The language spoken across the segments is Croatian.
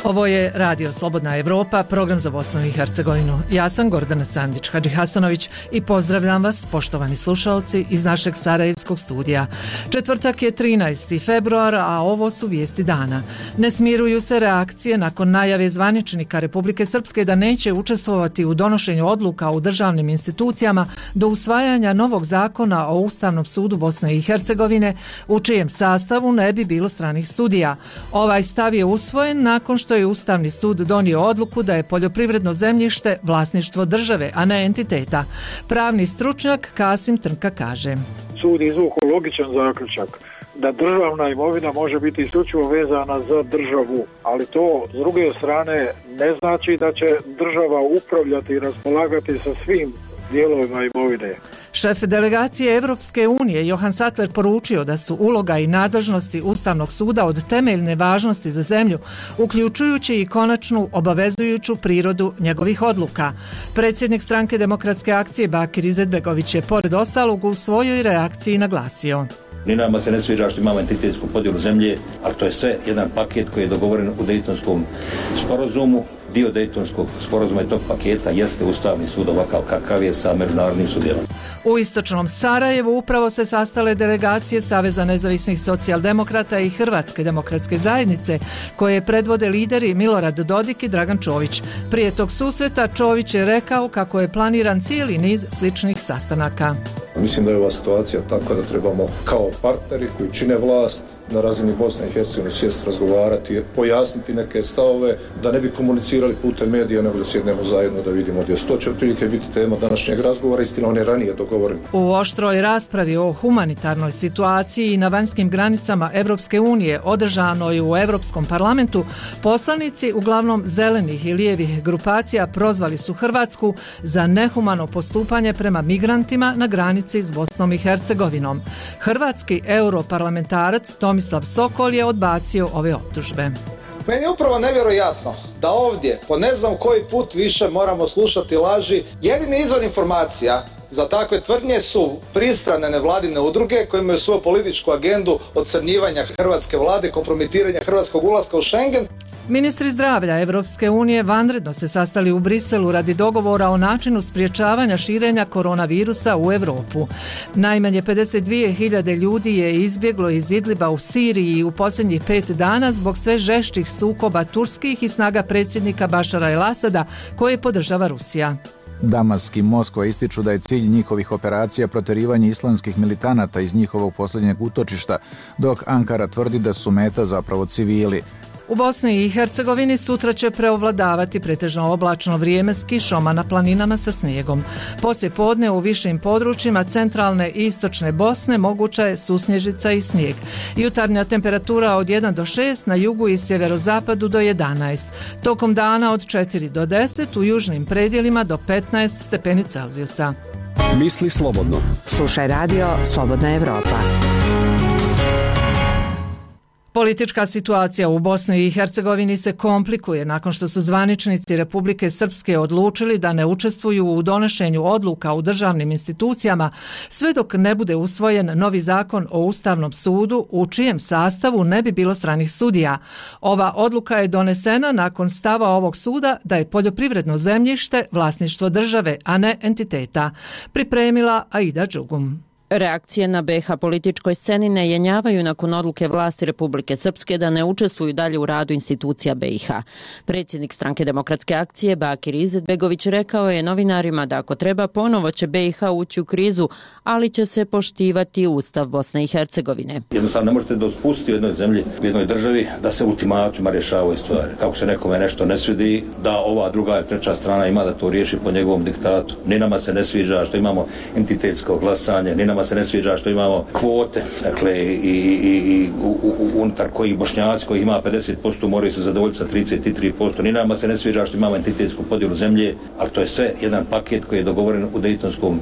Ovo je Radio Slobodna Evropa, program za Bosnu i Hercegovinu. Ja sam Gordana Sandić-Hadžihasanović i pozdravljam vas, poštovani slušalci, iz našeg sarajevskog studija. Četvrtak je 13. februar, a ovo su vijesti dana. Ne smiruju se reakcije nakon najave zvaničnika Republike Srpske da neće učestvovati u donošenju odluka u državnim institucijama do usvajanja novog zakona o Ustavnom sudu Bosne i Hercegovine, u čijem sastavu ne bi bilo stranih sudija. Ovaj stav je usvojen nakon što je Ustavni sud donio odluku da je poljoprivredno zemljište vlasništvo države, a ne entiteta. Pravni stručnjak Kasim Trnka kaže: Sud izvukao logičan zaključak da državna imovina može biti isključivo vezana za državu, ali to s druge strane ne znači da će država upravljati i raspolagati sa svim dijelovima imovine. Šef delegacije Evropske unije Johan Sattler poručio da su uloga i nadležnosti Ustavnog suda od temeljne važnosti za zemlju, uključujući i konačnu obavezujuću prirodu njegovih odluka. Predsjednik Stranke demokratske akcije Bakir Izetbegović je pored ostalog u svojoj reakciji naglasio: Ni nama se ne sviđa što imamo entitetsku podjelu zemlje, ali to je sve jedan paket koji je dogovoren u Dejtonskom sporazumu. Dio Dejtonskog sporazuma i tog paketa jeste Ustavni sud ovakav kakav je sa međunarodnim sudjelom. U istočnom Sarajevu upravo se sastale delegacije Saveza nezavisnih socijaldemokrata i Hrvatske demokratske zajednice, koje predvode lideri Milorad Dodik i Dragan Čović. Prije tog susreta Čović je rekao kako je planiran cijeli niz sličnih sastanaka. Mislim da je ova situacija takva da trebamo kao partneri koji čine vlast na razini Bosne i Hercegovine sjest, razgovarati, pojasniti neke stavove, da ne bi komunicirali putem medija, nego da sjednemo zajedno da vidimo gdje su. To će otprilike biti tema današnjeg razgovora, istina on je ranije dogovoren. U oštroj raspravi o humanitarnoj situaciji i na vanjskim granicama Evropske unije održanoj u Europskom parlamentu, poslanici uglavnom zelenih i lijevih grupacija prozvali su Hrvatsku za nehumano postupanje prema migrantima na granici s Bosnom i Hercegovinom. Hrvatski europarlamentarac Tomislav Sokol je odbacio ove optužbe. Meni je upravo nevjerojatno da ovdje po ne znam koji put više moramo slušati laži. Jedini izvor informacija za takve tvrdnje su pristrane nevladine udruge koje imaju svoju političku agendu ocrnjivanja hrvatske vlade, kompromitiranja hrvatskog ulaska u Schengen. Ministri zdravlja Evropske unije vanredno se sastali u Briselu radi dogovora o načinu sprječavanja širenja koronavirusa u Europu. Najmanje 52.000 ljudi je izbjeglo iz Idliba u Siriji u posljednjih 5 dana zbog sve žešćih sukoba turskih i snaga predsjednika Bašara el-Asada koje podržava Rusija. Damask i Moskva ističu da je cilj njihovih operacija protjerivanje islamskih militanata iz njihovog posljednjeg utočišta, dok Ankara tvrdi da su meta zapravo civili. U Bosni i Hercegovini sutra će preovladavati pretežno oblačno vrijeme s kišom, a na planinama sa snijegom. Poslije podne u višim područjima centralne i istočne Bosne moguća je susnježica i snijeg. Jutarnja temperatura od 1 do 6, na jugu i sjeverozapadu do 11. Tokom dana od 4 do 10, u južnim predjelima do 15 stepeni Celzijusa. Misli slobodno. Slušaj Radio Slobodna Evropa. Politička situacija u Bosni i Hercegovini se komplikuje nakon što su zvaničnici Republike Srpske odlučili da ne učestvuju u donošenju odluka u državnim institucijama sve dok ne bude usvojen novi zakon o Ustavnom sudu u čijem sastavu ne bi bilo stranih sudija. Ova odluka je donesena nakon stava ovog suda da je poljoprivredno zemljište vlasništvo države, a ne entiteta. Pripremila Aida Đugum. Reakcije na BiH političkoj sceni ne jenjavaju nakon odluke vlasti Republike Srpske da ne učestvuju dalje u radu institucija BiH. Predsjednik Stranke demokratske akcije Bakir Izetbegović rekao je novinarima da ako treba ponovo će BiH ući u krizu, ali će se poštivati Ustav Bosne i Hercegovine. Jednostavno ne možete da spustiti u jednoj zemlji, u jednoj državi da se ultimatima rješavaju stvari. Kako se nekome nešto ne svidi, da ova druga i treća strana ima da to riješi po njegovom diktatu. Ni nama se ne sviđa što imamo entitetsko glasanje, ni nama se ne sviđa što imamo kvote, dakle i unutar kojih Bošnjaci koji ima 50% moraju se zadovoljiti sa 33%. Ni nama se ne sviđa što imamo entitetsku podjelu zemlje, ali to je sve jedan paket koji je dogovoren u Dejtonskom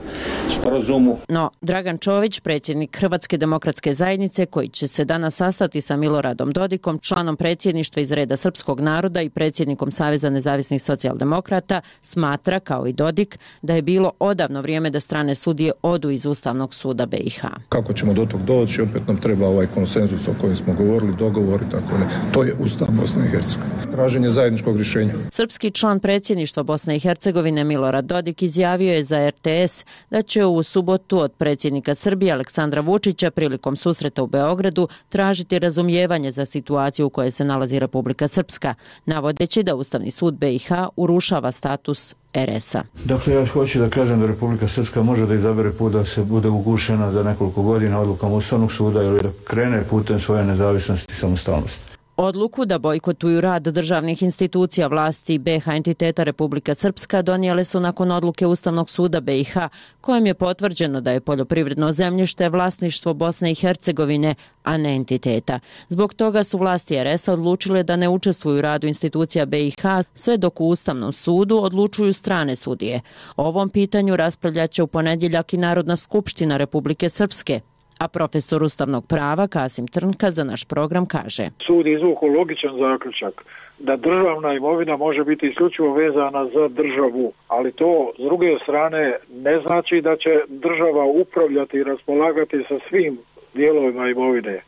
sporazumu. No, Dragan Čović, predsjednik Hrvatske demokratske zajednice, koji će se danas sastati sa Miloradom Dodikom, članom predsjedništva iz reda srpskog naroda i predsjednikom Saveza nezavisnih socijaldemokrata, smatra, kao i Dodik, da je bilo odavno vrijeme da strane sudije odu iz Ustavnog suda BiH. Kako ćemo do tog doći, opet nam treba ovaj konsenzus o kojem smo govorili, dogovor i tako ne. To je Ustav Bosne i Hercegovine. Traženje zajedničkog rješenja. Srpski član predsjedništva Bosne i Hercegovine Milorad Dodik izjavio je za RTS da će u subotu od predsjednika Srbije Aleksandra Vučića prilikom susreta u Beogradu tražiti razumijevanje za situaciju u kojoj se nalazi Republika Srpska, navodeći da Ustavni sud BiH urušava status RS-a. Dakle, ja hoću da kažem da Republika Srpska može da izabere put da se bude ugušena za nekoliko godina odlukom Ustavnog suda ili da krene putem svoje nezavisnosti i samostalnosti. Odluku da bojkotuju rad državnih institucija vlasti BiH entiteta Republika Srpska donijele su nakon odluke Ustavnog suda BiH, kojem je potvrđeno da je poljoprivredno zemljište vlasništvo Bosne i Hercegovine, a ne entiteta. Zbog toga su vlasti RS-a odlučile da ne učestvuju u radu institucija BiH, sve dok u Ustavnom sudu odlučuju strane sudije. O ovom pitanju raspravljaće u ponedjeljak i Narodna skupština Republike Srpske, a profesor ustavnog prava Kasim Trnka za naš program kaže: Sud izvukao logičan zaključak da državna imovina može biti isključivo vezana za državu, ali to s druge strane ne znači da će država upravljati i raspolagati sa svim dijelovima imovine,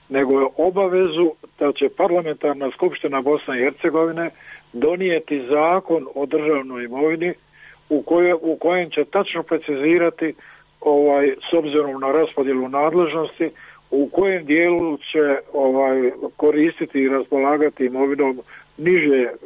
nego je obavezu da će parlamentarna skupština Bosne i Hercegovine donijeti zakon o državnoj imovini u kojem će tačno precizirati s obzirom na raspodjelu nadležnosti u kojem dijelu će koristiti i raspolagati imovinom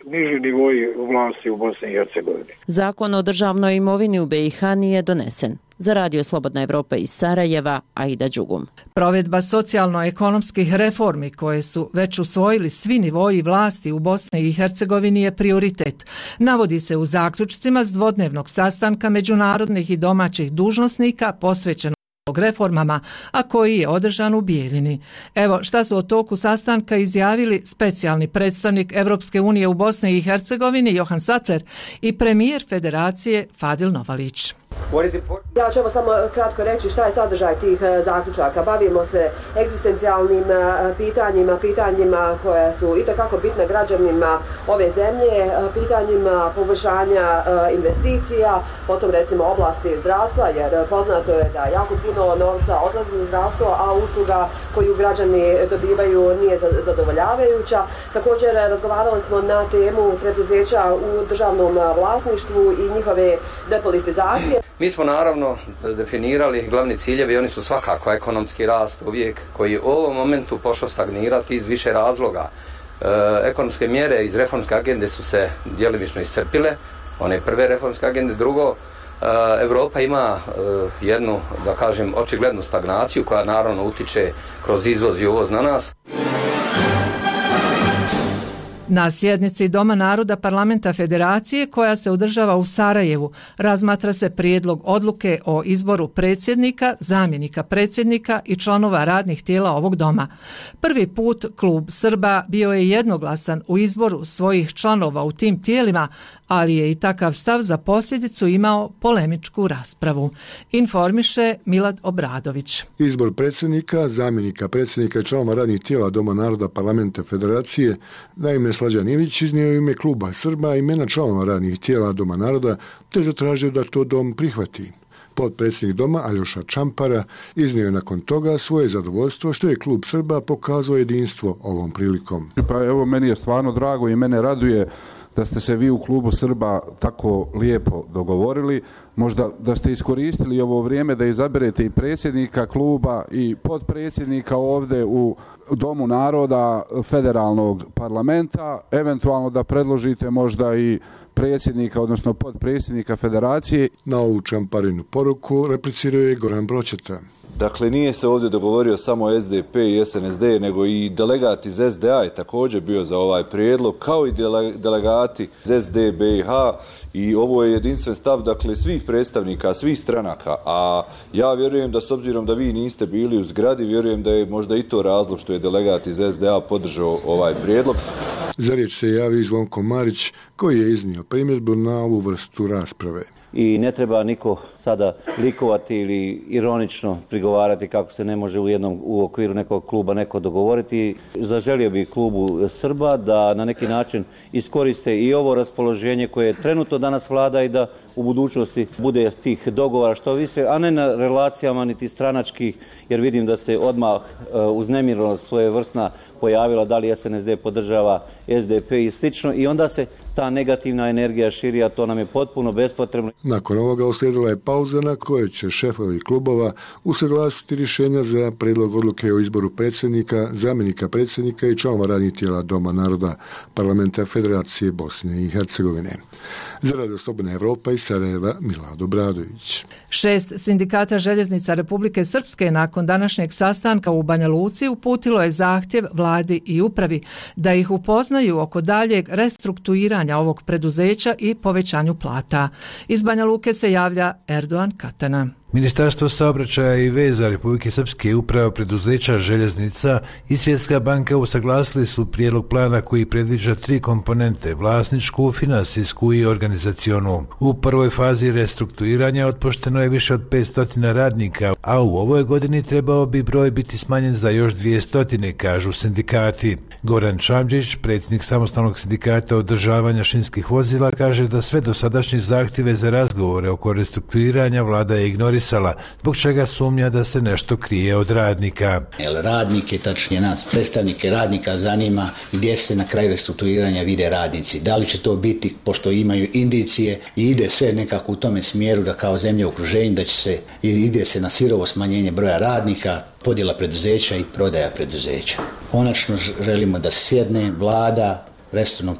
niži nivoji vlasti u Bosni i Hercegovini. Zakon o državnoj imovini u BiH nije donesen. Za Radio Slobodna Evropa iz Sarajeva, Aida Đugum. Provedba socijalno-ekonomskih reformi koje su već usvojili svi nivoji vlasti u Bosni i Hercegovini je prioritet. Navodi se u zaključcima s dvodnevnog sastanka međunarodnih i domaćih dužnosnika posvećenog reformama, a koji je održan u Bijeljini. Evo šta su o toku sastanka izjavili specijalni predstavnik Evropske unije u Bosni i Hercegovini Johan Sattler i premijer Federacije Fadil Novalić. Ja ću samo kratko reći šta je sadržaj tih zaključaka. Bavimo se egzistencijalnim pitanjima koja su itekako bitna građanima ove zemlje, pitanjima poboljšanja investicija, potom recimo oblasti zdravstva, jer poznato je da jako puno novca odlazi u zdravstvo, a usluga koju građani dobivaju nije zadovoljavajuća. Također razgovarali smo na temu preduzeća u državnom vlasništvu i njihove depolitizacije. Mi smo naravno definirali glavni ciljevi, oni su svakako ekonomski rast uvijek, koji u ovom momentu pošao stagnirati iz više razloga. Ekonomske mjere iz reformske agende su se djelomično iscrpile, one prve reformske agende. Drugo, Europa ima jednu, da kažem, očiglednu stagnaciju koja naravno utiče kroz izvoz i uvoz na nas. Na sjednici Doma naroda Parlamenta Federacije koja se održava u Sarajevu razmatra se prijedlog odluke o izboru predsjednika, zamjenika predsjednika i članova radnih tijela ovog doma. Prvi put klub Srba bio je jednoglasan u izboru svojih članova u tim tijelima, ali je i takav stav za posljedicu imao polemičku raspravu. Informiše Milad Obradović. Izbor predsjednika, zamjenika predsjednika i članova radnih tijela Doma naroda Parlamenta Federacije na ime Slađan Ilić iznio u ime kluba Srba imena članova radnih tijela Doma naroda te zatražio da to dom prihvati. Potpredsjednik doma Aljoša Čampara iznio je nakon toga svoje zadovoljstvo što je klub Srba pokazao jedinstvo ovom prilikom. Pa evo, meni je stvarno drago i mene raduje da ste se vi u klubu Srba tako lijepo dogovorili. Možda da ste iskoristili ovo vrijeme da izaberete i predsjednika kluba i potpredsjednika ovdje u Domu naroda federalnog parlamenta, eventualno da predložite možda i predsjednika, odnosno potpredsjednika federacije. Na ovu Čamparinu poruku replicirao je Goran Broćeta. Dakle, nije se ovdje dogovorio samo SDP i SNSD, nego i delegat iz SDA je također bio za ovaj prijedlog, kao i delegati iz SD BiH, i ovo je jedinstven stav, dakle, svih predstavnika, svih stranaka, a ja vjerujem da s obzirom da vi niste bili u zgradi, vjerujem da je možda i to razlog što je delegat iz SDA podržao ovaj prijedlog. Za riječ se javio Zvonko Marić, koji je iznio primjedbu na ovu vrstu rasprave. I ne treba niko sada likovati ili ironično prigovarati kako se ne može u okviru nekog kluba neko dogovoriti. Zaželio bi klubu Srba da na neki način iskoriste i ovo raspoloženje koje trenutno danas vlada i da u budućnosti bude tih dogovora što više, a ne na relacijama niti stranačkih, jer vidim da se odmah uznemirnost svojevrsna pojavila, da li SNSD podržava SDP i slično, i onda se ta negativna energija širi, a to nam je potpuno bespotrebno. Nakon ovoga uslijedila je pauza na kojoj će šefovi klubova usaglasiti rješenja za prijedlog odluke o izboru predsjednika, zamjenika predsjednika i članova radnih tijela Doma naroda Parlamenta Federacije Bosne i Hercegovine. Za Radio Slobodna Evropa iz Sarajeva, Milado Bradović. 6 sindikata željeznica Republike Srpske nakon današnjeg sastanka u Banja Luci uputilo je zahtjev vladi i upravi da ih upoznaju oko daljeg restrukturiranja ovog preduzeća i povećanju plata. Iz Banja Luke se javlja Erdogan Katana. Ministarstvo saobraćaja i veza Republike Srpske i uprava preduzeća željeznica i Svjetska banka usaglasili su prijedlog plana koji predviđa 3 komponente: vlasničku, finansijsku i organizacionu. U prvoj fazi restrukturiranja otpušteno je više od 500 radnika, a u ovoj godini trebao bi broj biti smanjen za još 200, kažu sindikati. Goran Čamđić, predsjednik samostalnog sindikata održavanja šinskih vozila, kaže da sve dosadašnje zahtjeve za razgovore oko restrukturiranja vlada je ignorisala, zbog čega sumnja da se nešto krije od radnika. Radnike, tačnije nas, predstavnike radnika zanima gdje se na kraju restrukturiranja vide radnici. Da li će to biti, pošto imaju indicije i ide sve nekako u tome smjeru da kao zemlje u okruženju da će se, ide se na sirovo smanjenje broja radnika, podjela preduzeća i prodaja preduzeća. Konačno želimo da sjedne vlada, resorno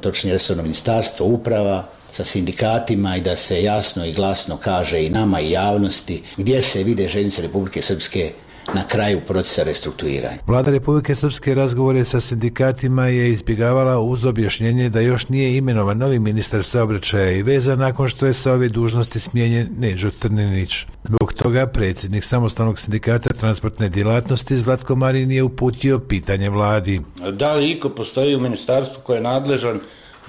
ministarstvo, uprava sa sindikatima i da se jasno i glasno kaže i nama i javnosti gdje se vide željeznice Republike Srpske na kraju procesa restrukturiranja. Vlada Republike Srpske razgovore sa sindikatima je izbjegavala uz objašnjenje da još nije imenovan novi ministar saobraćaja i veza nakon što je sa ove dužnosti smijenjen Neđo Trninić. Zbog toga predsjednik samostalnog sindikata transportne djelatnosti Zlatko Marin je uputio pitanje vladi. Da li iko postoji u ministarstvu koje je nadležan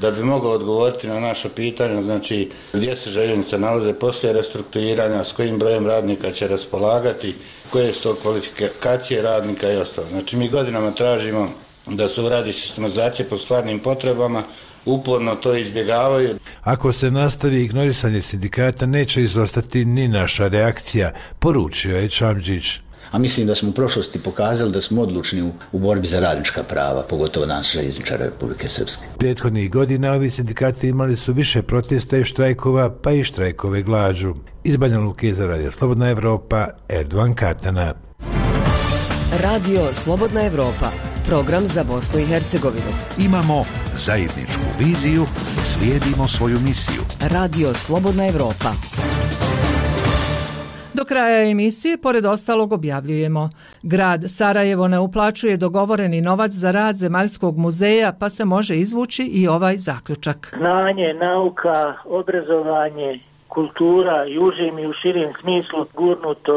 da bi mogao odgovoriti na naša pitanja, znači gdje se željeznice nalaze poslije restrukturiranja, s kojim brojem radnika će raspolagati, koje su to kvalifikacije radnika i ostalo. Znači mi godinama tražimo da se uradi sistematizacija po stvarnim potrebama, uporno to izbjegavaju. Ako se nastavi ignorisanje sindikata, neće izostati ni naša reakcija, poručio je Čamđić. A mislim da smo u prošlosti pokazali da smo odlučni u borbi za radnička prava, pogotovo nas željezničara Republike Srpske. Prethodnih godina ovi sindikati imali su više protesta i štrajkova, pa i štrajkove glađu. Iz Banja Luke za Radio Slobodna Evropa, Erdogan Katana. Radio Slobodna Evropa, program za Bosnu i Hercegovinu. Imamo zajedničku viziju, slijedimo svoju misiju. Radio Slobodna Evropa. Do kraja emisije, pored ostalog, objavljujemo: grad Sarajevo ne uplaćuje dogovoreni novac za rad Zemaljskog muzeja, pa se može izvući i ovaj zaključak. Znanje, nauka, obrazovanje, kultura i užim i u širim smislu gurnuto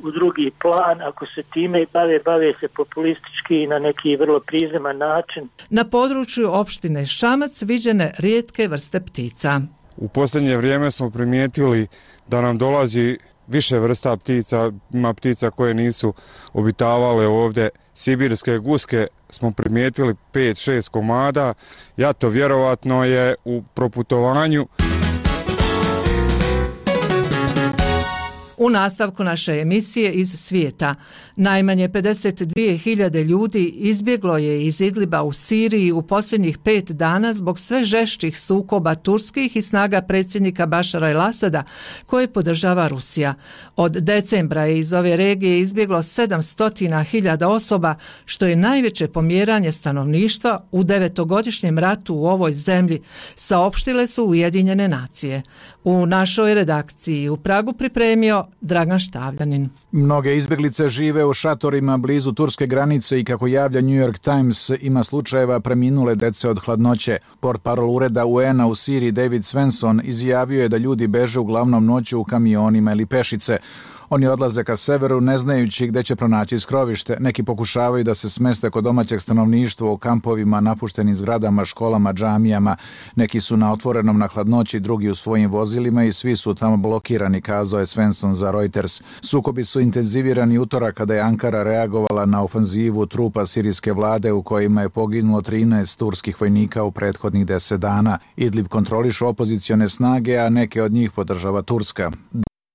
u drugi plan. Ako se time bave se populistički i na neki vrlo prizeman način. Na području opštine Šamac viđene rijetke vrste ptica. U posljednje vrijeme smo primijetili da nam dolazi više vrsta ptica, ima ptica koje nisu obitavale ovdje. Sibirske guske smo primijetili 5-6 komada, jato vjerovatno je u proputovanju. U nastavku naše emisije iz svijeta, najmanje 52.000 ljudi izbjeglo je iz Idliba u Siriji u posljednjih 5 dana zbog sve žešćih sukoba turskih i snaga predsjednika Bašara el-Asada koje podržava Rusija. Od decembra je iz ove regije izbjeglo 700.000 osoba, što je najveće pomjeranje stanovništva u 9-godišnjem ratu u ovoj zemlji, saopštile su Ujedinjene nacije. U našoj redakciji u Pragu pripremio Dragan Štavljanin. Mnoge izbjeglice žive u šatorima blizu turske granice i kako javlja New York Times ima slučajeva preminule dece od hladnoće. Portparol ureda UN-a u Siriji David Svensson izjavio je da ljudi beže uglavnom noću u kamionima ili pešice. Oni odlaze ka severu ne znajući gde će pronaći skrovište. Neki pokušavaju da se smeste kod domaćeg stanovništva u kampovima, napuštenim zgradama, školama, džamijama. Neki su na otvorenom na hladnoći, drugi u svojim vozilima i svi su tamo blokirani, kazao je Svensson za Reuters. Sukobi su intenzivirani utorak kada je Ankara reagovala na ofanzivu trupa sirijske vlade u kojima je poginulo 13 turskih vojnika u prethodnih 10 dana. Idlib kontrolišu opozicione snage, a neke od njih podržava Turska.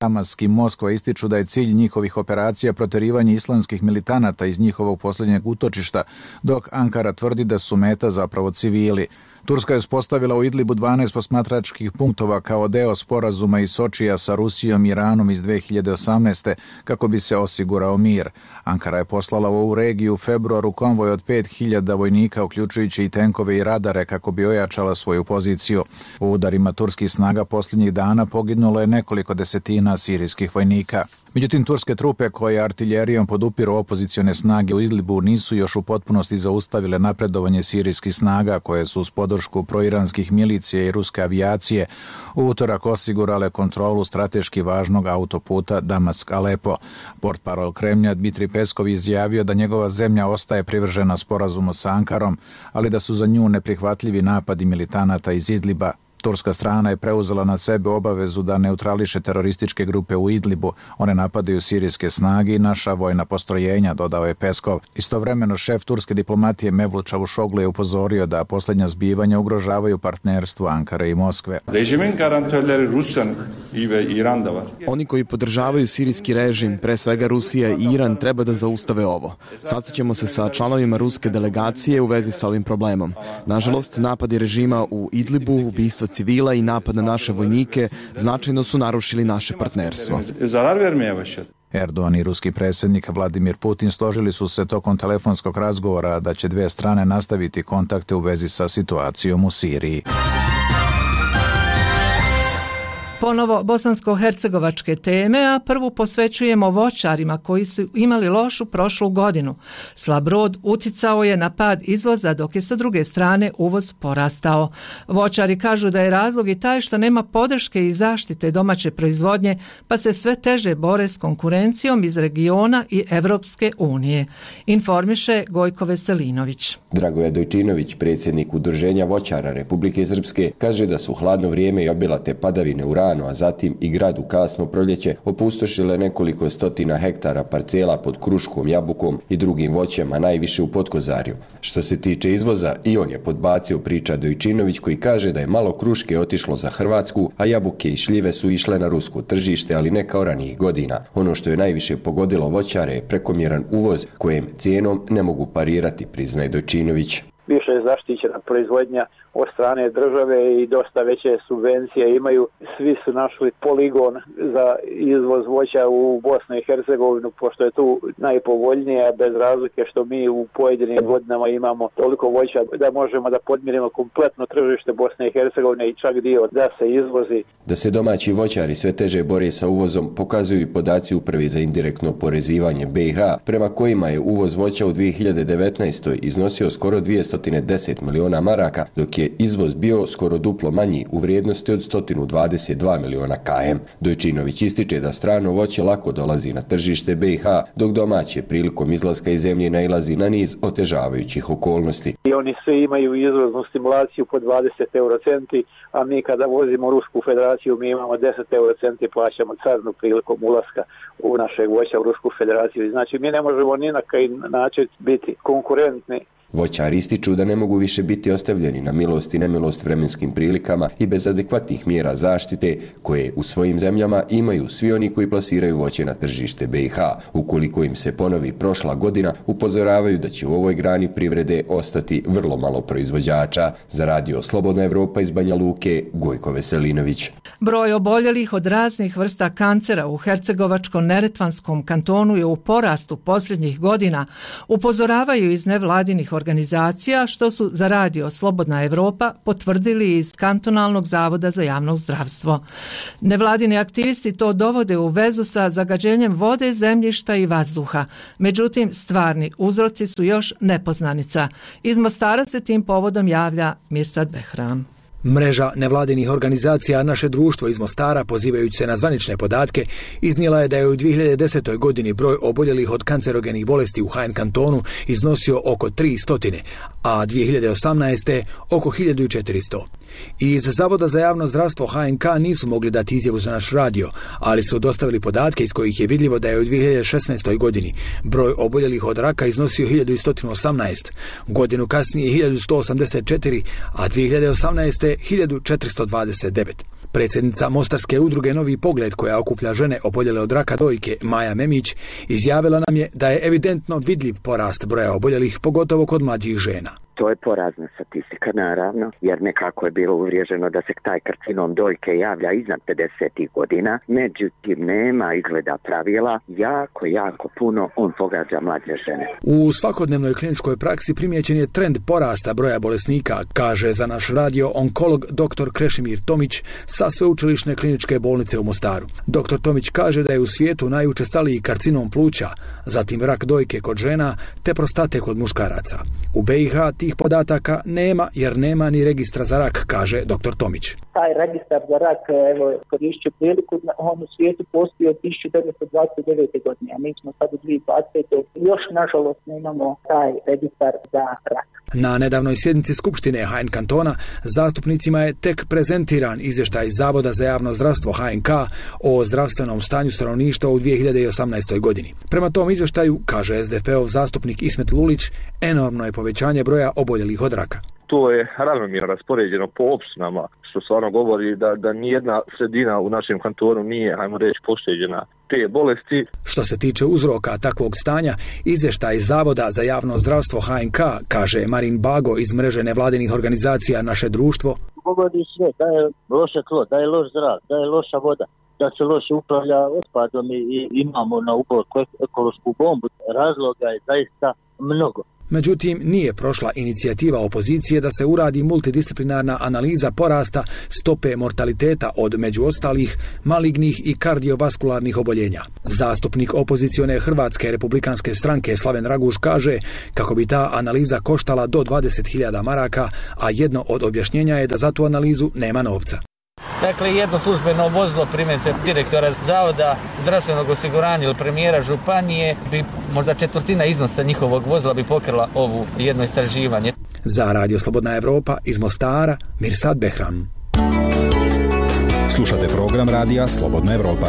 Damask i Moskva ističu da je cilj njihovih operacija proterivanje islamskih militanata iz njihovog posljednjeg utočišta, dok Ankara tvrdi da su meta zapravo civili. Turska je uspostavila u Idlibu 12 posmatračkih punktova kao deo sporazuma iz Sočija sa Rusijom i Iranom iz 2018. kako bi se osigurao mir. Ankara je poslala u ovu regiju u februaru konvoj od 5000 vojnika, uključujući i tenkove i radare, kako bi ojačala svoju poziciju. U udarima turskih snaga posljednjih dana poginulo je nekoliko desetina sirijskih vojnika. Međutim, turske trupe koje artiljerijom podupiru opozicione snage u Idlibu nisu još u potpunosti zaustavile napredovanje sirijskih snaga koje su uz podršku proiranskih milicija i ruske avijacije u utorak osigurale kontrolu strateški važnog autoputa Damask-Alepo. Portparol Kremlja Dmitri Peskov izjavio da njegova zemlja ostaje privržena sporazumu sa Ankarom, ali da su za nju neprihvatljivi napadi militanata iz Idliba. Turska strana je preuzela na sebe obavezu da neutrališe terorističke grupe u Idlibu. One napadaju sirijske snage i naša vojna postrojenja, dodao je Peskov. Istovremeno šef turske diplomatije Mevlut Čavuşoglu je upozorio da posljednja zbivanja ugrožavaju partnerstvo Ankare i Moskve. Režimin garantörleri Rusya i Iran da var. Oni koji podržavaju sirijski režim, pre svega Rusija i Iran, treba da zaustave ovo. Sastaćemo se sa članovima ruske delegacije u vezi sa ovim problemom. Nažalost, napadi režima u Idlibu, ubistva civila i napad na naše vojnike značajno su narušili naše partnerstvo. Erdogan i ruski predsjednik Vladimir Putin složili su se tokom telefonskog razgovora da će dvije strane nastaviti kontakte u vezi sa situacijom u Siriji. Ponovo bosansko-hercegovačke teme, a prvu posvećujemo voćarima koji su imali lošu prošlu godinu. Slab rod uticao je na pad izvoza, dok je sa druge strane uvoz porastao. Voćari kažu da je razlog i taj što nema podrške i zaštite domaće proizvodnje, pa se sve teže bore s konkurencijom iz regiona i Evropske unije. Informiše Gojko Veselinović. Dragoje Dojčinović, predsjednik Udruženja voćara Republike Srpske, kaže da su hladno vrijeme i obilate padavine u ranu, a zatim i grad u kasno proljeće opustošile nekoliko stotina hektara parcela pod kruškom, jabukom i drugim voćem, a najviše u Potkozarju. Što se tiče izvoza, i on je podbacio, priča Dojčinović, koji kaže da je malo kruške otišlo za Hrvatsku, a jabuke i šljive su išle na rusko tržište, ali ne kao ranijih godina. Ono što je najviše pogodilo voćare je prekomjeran uvoz, kojem cijenom ne mogu parirati, priznaje Dojčinović. Više je zaštićena proizvodnja od strane države i dosta veće subvencije imaju. Svi su našli poligon za izvoz voća u Bosnu i Hercegovinu, pošto je tu najpovoljnije, bez razlike što mi u pojedinim godinama imamo toliko voća da možemo da podmirimo kompletno tržište Bosne i Hercegovine i čak dio da se izvozi. Da se domaći voćari sve teže bore sa uvozom pokazuju i podaci Uprave za indirektno oporezivanje BiH, prema kojima je uvoz voća u 2019. iznosio skoro 210 miliona maraka, dok je izvoz bio skoro duplo manji u vrijednosti od 122 miliona km. Dojčinović ističe da strano voće lako dolazi na tržište BiH, dok domaće prilikom izlaska iz zemlje nailazi na niz otežavajućih okolnosti. I oni svi imaju izvoznu stimulaciju po 20 eurocenti, a mi kada vozimo Rusku federaciju mi imamo 10 eurocenti, plaćamo carinu prilikom ulaska u našeg voća u Rusku federaciju. Znači mi ne možemo ni na koji način biti konkurentni. Voćari ističu da ne mogu više biti ostavljeni na milost i nemilost vremenskim prilikama i bez adekvatnih mjera zaštite koje u svojim zemljama imaju svi oni koji plasiraju voće na tržište BiH. Ukoliko im se ponovi prošla godina, upozoravaju da će u ovoj grani privrede ostati vrlo malo proizvođača. Za Radio Slobodna Evropa iz Banja Luke, Gojko Veselinović. Broj oboljelih od raznih vrsta kancera u Hercegovačko-Neretvanskom kantonu je u porastu posljednjih godina, upozoravaju iz nevladinih organizacija, što su za radio Slobodna Evropa potvrdili iz Kantonalnog zavoda za javno zdravstvo. Nevladini aktivisti to dovode u vezu sa zagađenjem vode, zemljišta i vazduha. Međutim, stvarni uzroci su još nepoznanica. Iz Mostara se tim povodom javlja Mirsad Behram. Mreža nevladinih organizacija Naše društvo iz Mostara, pozivajući se na zvanične podatke, iznijela je da je u 2010. godini broj oboljelih od kancerogenih bolesti u HN kantonu iznosio oko 300, a 2018. oko 1400. Iz Zavoda za javno zdravstvo HNK nisu mogli dati izjavu za naš radio, ali su dostavili podatke iz kojih je vidljivo da je u 2016. godini broj oboljelih od raka iznosio 1118, godinu kasnije 1184, a 2018. 1429. Predsjednica Mostarske udruge Novi pogled, koja okuplja žene oboljele od raka dojke, Maja Memić, izjavila nam je da je evidentno vidljiv porast broja oboljelih, pogotovo kod mlađih žena. To je porazna statistika, naravno, jer nekako je bilo uvriježeno da se taj karcinom dojke javlja iznad 50. godina, međutim nema izgleda pravila, jako puno on pogađa mlađe žene. U svakodnevnoj kliničkoj praksi primijećen je trend porasta broja bolesnika, kaže za naš radio onkolog dr. Krešimir Tomić sa Sveučilišne kliničke bolnice u Mostaru. Dr. Tomić kaže da je u svijetu najučestaliji karcinom pluća, zatim rak dojke kod žena te prostate kod muškaraca. U BiH tih podataka nema jer nema ni registra za rak, kaže dr. Tomić. Taj registar za rak, evo, korišću priliku, on u svijetu postoji od 1929. godine, a mi smo sad u 2020. Još, nažalost, nemamo taj registar za rak. Na nedavnoj sjednici Skupštine HN kantona zastupnicima je tek prezentiran izvještaj Zavoda za javno zdravstvo HNK o zdravstvenom stanju stanovništva u 2018. godini. Prema tom izvještaju, kaže SDP-ov zastupnik Ismet Lulić, enormno je povećanje broja oboljelih od raka. To je ravnomjerno raspoređeno po opštinama, što stvarno govori da nijedna sredina u našem kantonu nije, hajmo reći, pošteđena te bolesti. Što se tiče uzroka takvog stanja, izvještaj Zavoda za javno zdravstvo HNK, kaže Marin Bago iz mreže nevladinih organizacija Naše društvo. Govori sve da je loše tlo, da je loš zrak, da je loša voda, da se loše upravlja otpadom i imamo na ubor ekološku bombu. Razloga je zaista mnogo. Međutim, nije prošla inicijativa opozicije da se uradi multidisciplinarna analiza porasta stope mortaliteta od, među ostalih, malignih i kardiovaskularnih oboljenja. Zastupnik opozicione Hrvatske republikanske stranke Slaven Raguž kaže kako bi ta analiza koštala do 20.000 maraka, a jedno od objašnjenja je da za tu analizu nema novca. Dakle, jedno službeno vozilo, primjerice direktora Zavoda zdravstvenog osiguranja ili premijera županije, bi možda četvrtina iznosa njihovog vozila bi pokrila ovo jedno istraživanje. Za Radio Slobodna Evropa iz Mostara, Mirsad Behram. Slušate program Radija Slobodna Evropa.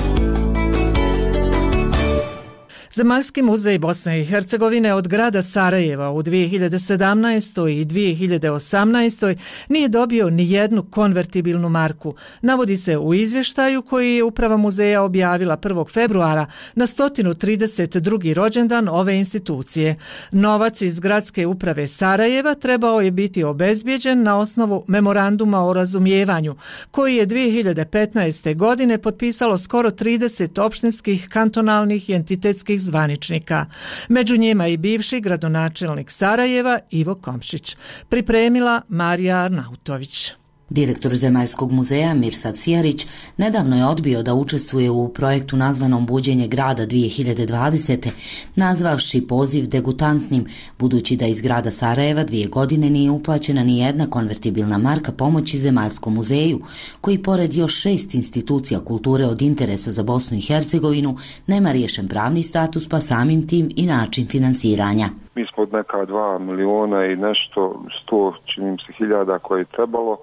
Zemaljski muzej Bosne i Hercegovine od grada Sarajeva u 2017. i 2018. nije dobio ni jednu konvertibilnu marku. Navodi se u izvještaju koji je uprava muzeja objavila 1. februara na 132. rođendan ove institucije. Novac iz gradske uprave Sarajeva trebao je biti obezbijeđen na osnovu memoranduma o razumijevanju, koji je 2015. godine potpisalo skoro 30 opštinskih, kantonalnih i entitetskih zvaničnika. Među njima i bivši gradonačelnik Sarajeva Ivo Komšić. Pripremila Marija Arnautović. Direktor Zemaljskog muzeja Mirsad Sijarić nedavno je odbio da učestvuje u projektu nazvanom Buđenje grada 2020. nazvavši poziv degutantnim, budući da iz grada Sarajeva 2 godine nije uplaćena ni jedna konvertibilna marka pomoći Zemaljskom muzeju, koji pored još 6 institucija kulture od interesa za Bosnu i Hercegovinu nema riješen pravni status, pa samim tim i način finansiranja. Mi smo od neka 2 miliona i nešto, 100 čini se hiljada koje je trebalo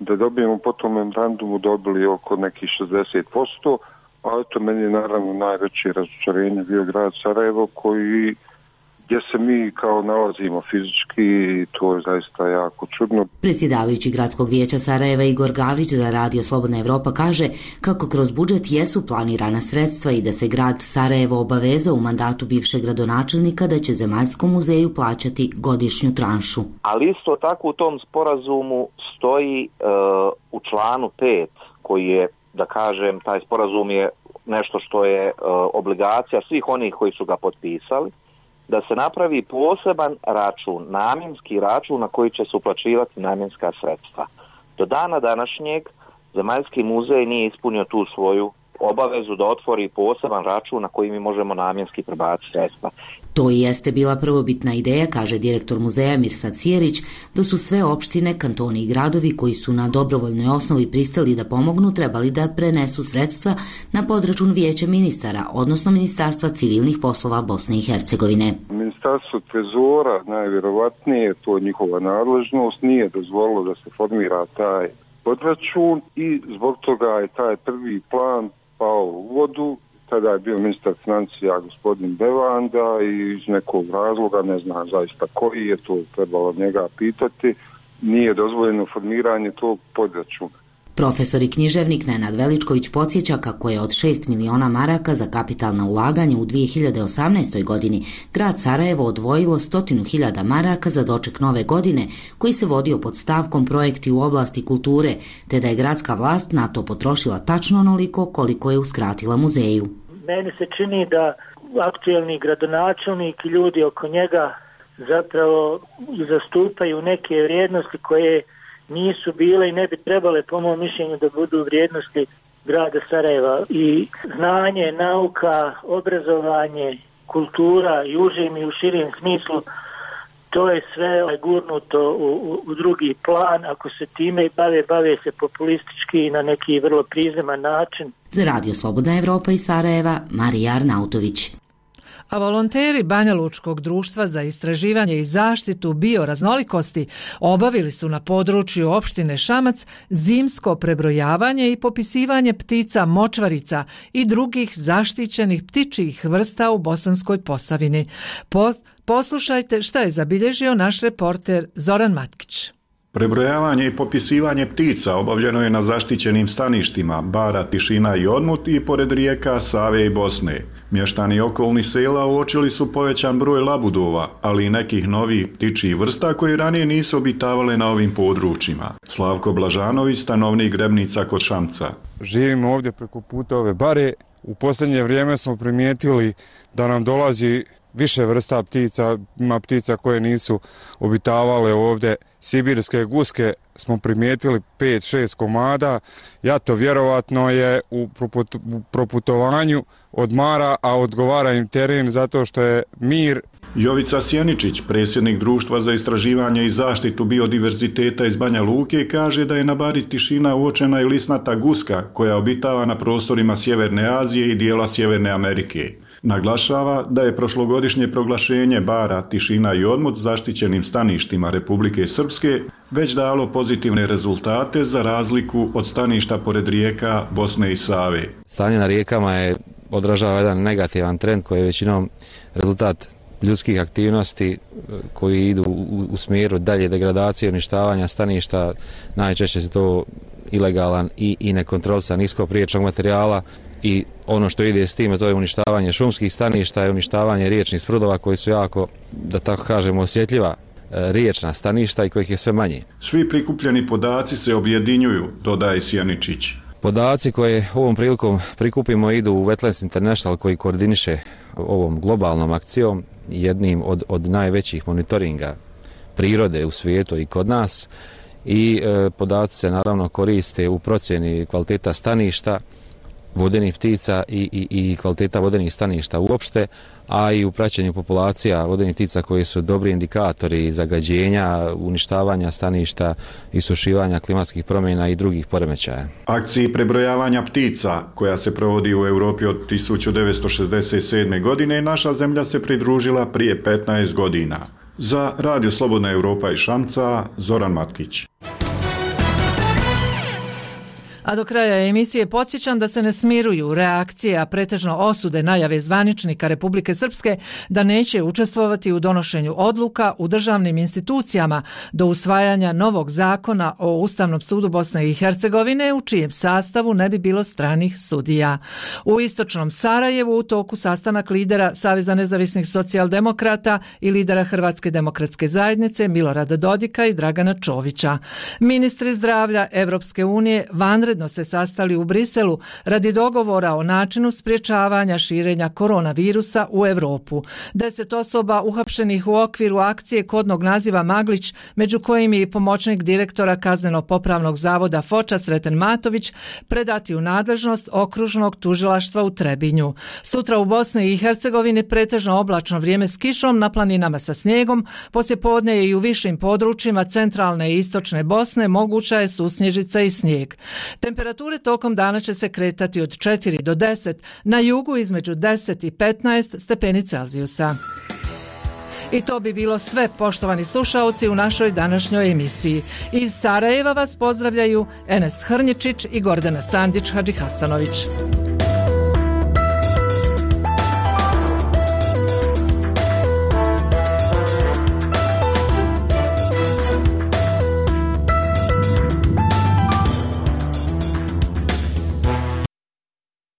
da dobijemo po tom memorandumu, dobili oko nekih 60%, a to meni je naravno najveće razočarenje bio grad Sarajevo, gdje se mi kao nalazimo fizički i to je zaista jako čudno. Predsjedavajući gradskog vijeća Sarajeva Igor Gavrić za Radio Slobodna Evropa kaže kako kroz budžet jesu planirana sredstva i da se grad Sarajevo obavezao u mandatu bivšeg gradonačelnika da će Zemaljskom muzeju plaćati godišnju tranšu. Ali isto tako u tom sporazumu stoji u članu 5 koji je, da kažem, taj sporazum je nešto što je obligacija svih onih koji su ga potpisali, da se napravi poseban račun, namjenski račun na koji će se uplaćivati namjenska sredstva. Do dana današnjeg Zemaljski muzej nije ispunio tu svoju obavezu da otvori poseban račun na koji mi možemo namjenski prebaciti sredstva. To i jeste bila prvobitna ideja, kaže direktor muzeja Mirsad Sjerić, da su sve opštine, kantoni i gradovi koji su na dobrovoljnoj osnovi pristali da pomognu trebali da prenesu sredstva na podračun Vijeća ministara, odnosno Ministarstva civilnih poslova Bosne i Hercegovine. Ministarstvo trezora, najvjerovatnije, to je njihova nadležnost, nije dozvolilo da se formira taj podračun i zbog toga je taj prvi plan pao u vodu. Tada je bio ministar financija gospodin Bevanda i iz nekog razloga, ne znam zaista koji je, to trebalo njega pitati, nije dozvoljeno formiranje tog podračuna. Profesor i književnik Nenad Veličković podsjeća kako je od 6 miliona maraka za kapitalna ulaganja u 2018. godini grad Sarajevo odvojilo 100.000 maraka za doček nove godine koji se vodio pod stavkom projekti u oblasti kulture, te da je gradska vlast na to potrošila tačno onoliko koliko je uskratila muzeju. Meni se čini da aktuelni gradonačelnik i ljudi oko njega zapravo zastupaju neke vrijednosti koje nisu bile i ne bi trebale, po mom mišljenju, da budu vrijednosti grada Sarajeva. I znanje, nauka, obrazovanje, kultura i užim i u širijem smislu, to je sve gurnuto u drugi plan. Ako se time bave se populistički i na neki vrlo prizeman način. Za Radio Slobodna Evropa iz Sarajeva, Marija Arnautović. A volonteri Banja Lučkog društva za istraživanje i zaštitu bioraznolikosti obavili su na području opštine Šamac zimsko prebrojavanje i popisivanje ptica močvarica i drugih zaštićenih ptičjih vrsta u Bosanskoj Posavini. Poslušajte šta je zabilježio naš reporter Zoran Matkić. Prebrojavanje i popisivanje ptica obavljeno je na zaštićenim staništima Bara, Tišina i Odmut i pored rijeka Save i Bosne. Mještani okolnih sela uočili su povećan broj labudova, ali i nekih novih ptičjih vrsta koji ranije nisu obitavale na ovim područjima. Slavko Blažanović, stanovnik Grebnica kod Šamca. Živimo ovdje preko puta ove bare. U posljednje vrijeme smo primijetili da nam dolazi više vrsta ptica, ima ptica koje nisu obitavale ovdje. Sibirske guske smo primijetili 5-6 komada, jato vjerovatno je u proputovanju odmara, a odgovara im teren zato što je mir. Jovica Sjeničić, predsjednik Društva za istraživanje i zaštitu biodiverziteta iz Banja Luke, kaže da je na Bari Tišina uočena i lisnata guska koja obitava na prostorima Sjeverne Azije i dijela Sjeverne Amerike. Naglašava da je prošlogodišnje proglašenje Bara, Tišina i Odmut zaštićenim staništima Republike Srpske već dalo pozitivne rezultate za razliku od staništa pored rijeka Bosne i Save. Stanje na rijekama odražava jedan negativan trend koji je većinom rezultat ljudskih aktivnosti koji idu u smjeru dalje degradacije, uništavanja staništa. Najčešće se to ilegalan i nekontrolisan iskop riječnog materijala. I ono što ide s time, to je uništavanje šumskih staništa i uništavanje riječnih sprudova koji su jako, da tako kažemo, osjetljiva riječna staništa i kojih je sve manje. Svi prikupljeni podaci se objedinjuju, dodaje Sjeničić. Podaci koje ovom prilikom prikupimo idu u Wetlands International koji koordiniše ovom globalnom akcijom, jednim od najvećih monitoringa prirode u svijetu i kod nas. I podaci se naravno koriste u procjeni kvaliteta staništa, vodenih ptica i kvaliteta vodenih staništa uopšte, a i u praćenju populacija vodenih ptica koji su dobri indikatori zagađenja, uništavanja staništa, isušivanja klimatskih promjena i drugih poremećaja. Akciji prebrojavanja ptica, koja se provodi u Europi od 1967. godine, naša zemlja se pridružila prije 15 godina. Za Radio Slobodna Evropa iz Šamca, Zoran Matkić. A do kraja emisije podsjećam da se ne smiruju reakcije, a pretežno osude najave zvaničnika Republike Srpske da neće učestvovati u donošenju odluka u državnim institucijama do usvajanja novog zakona o Ustavnom sudu Bosne i Hercegovine u čijem sastavu ne bi bilo stranih sudija. U istočnom Sarajevu u toku sastanak lidera Saveza nezavisnih socijaldemokrata i lidera Hrvatske demokratske zajednice Milorada Dodika i Dragana Čovića. Ministri zdravlja Evropske unije vanredno uredno se sastali u Briselu radi dogovora o načinu sprječavanja širenja koronavirusa u Europu. 10 osoba uhapšenih u okviru akcije kodnog naziva Maglić, među kojim je i pomoćnik direktora Kazneno-popravnog zavoda Foča Sreten Matović, predati u nadležnost okružnog tužilaštva u Trebinju. Sutra u Bosni i Hercegovini pretežno oblačno vrijeme s kišom, na planinama sa snijegom, poslijepodne je i u višim područjima centralne i istočne Bosne moguća je susnježica i snijeg. Temperature tokom dana će se kretati od 4 do 10, na jugu između 10 i 15 stepeni Celzijusa. I to bi bilo sve, poštovani slušaoci, u našoj današnjoj emisiji. Iz Sarajeva vas pozdravljaju Enes Hrnjičić i Gordana Sandić Hadžihasanović.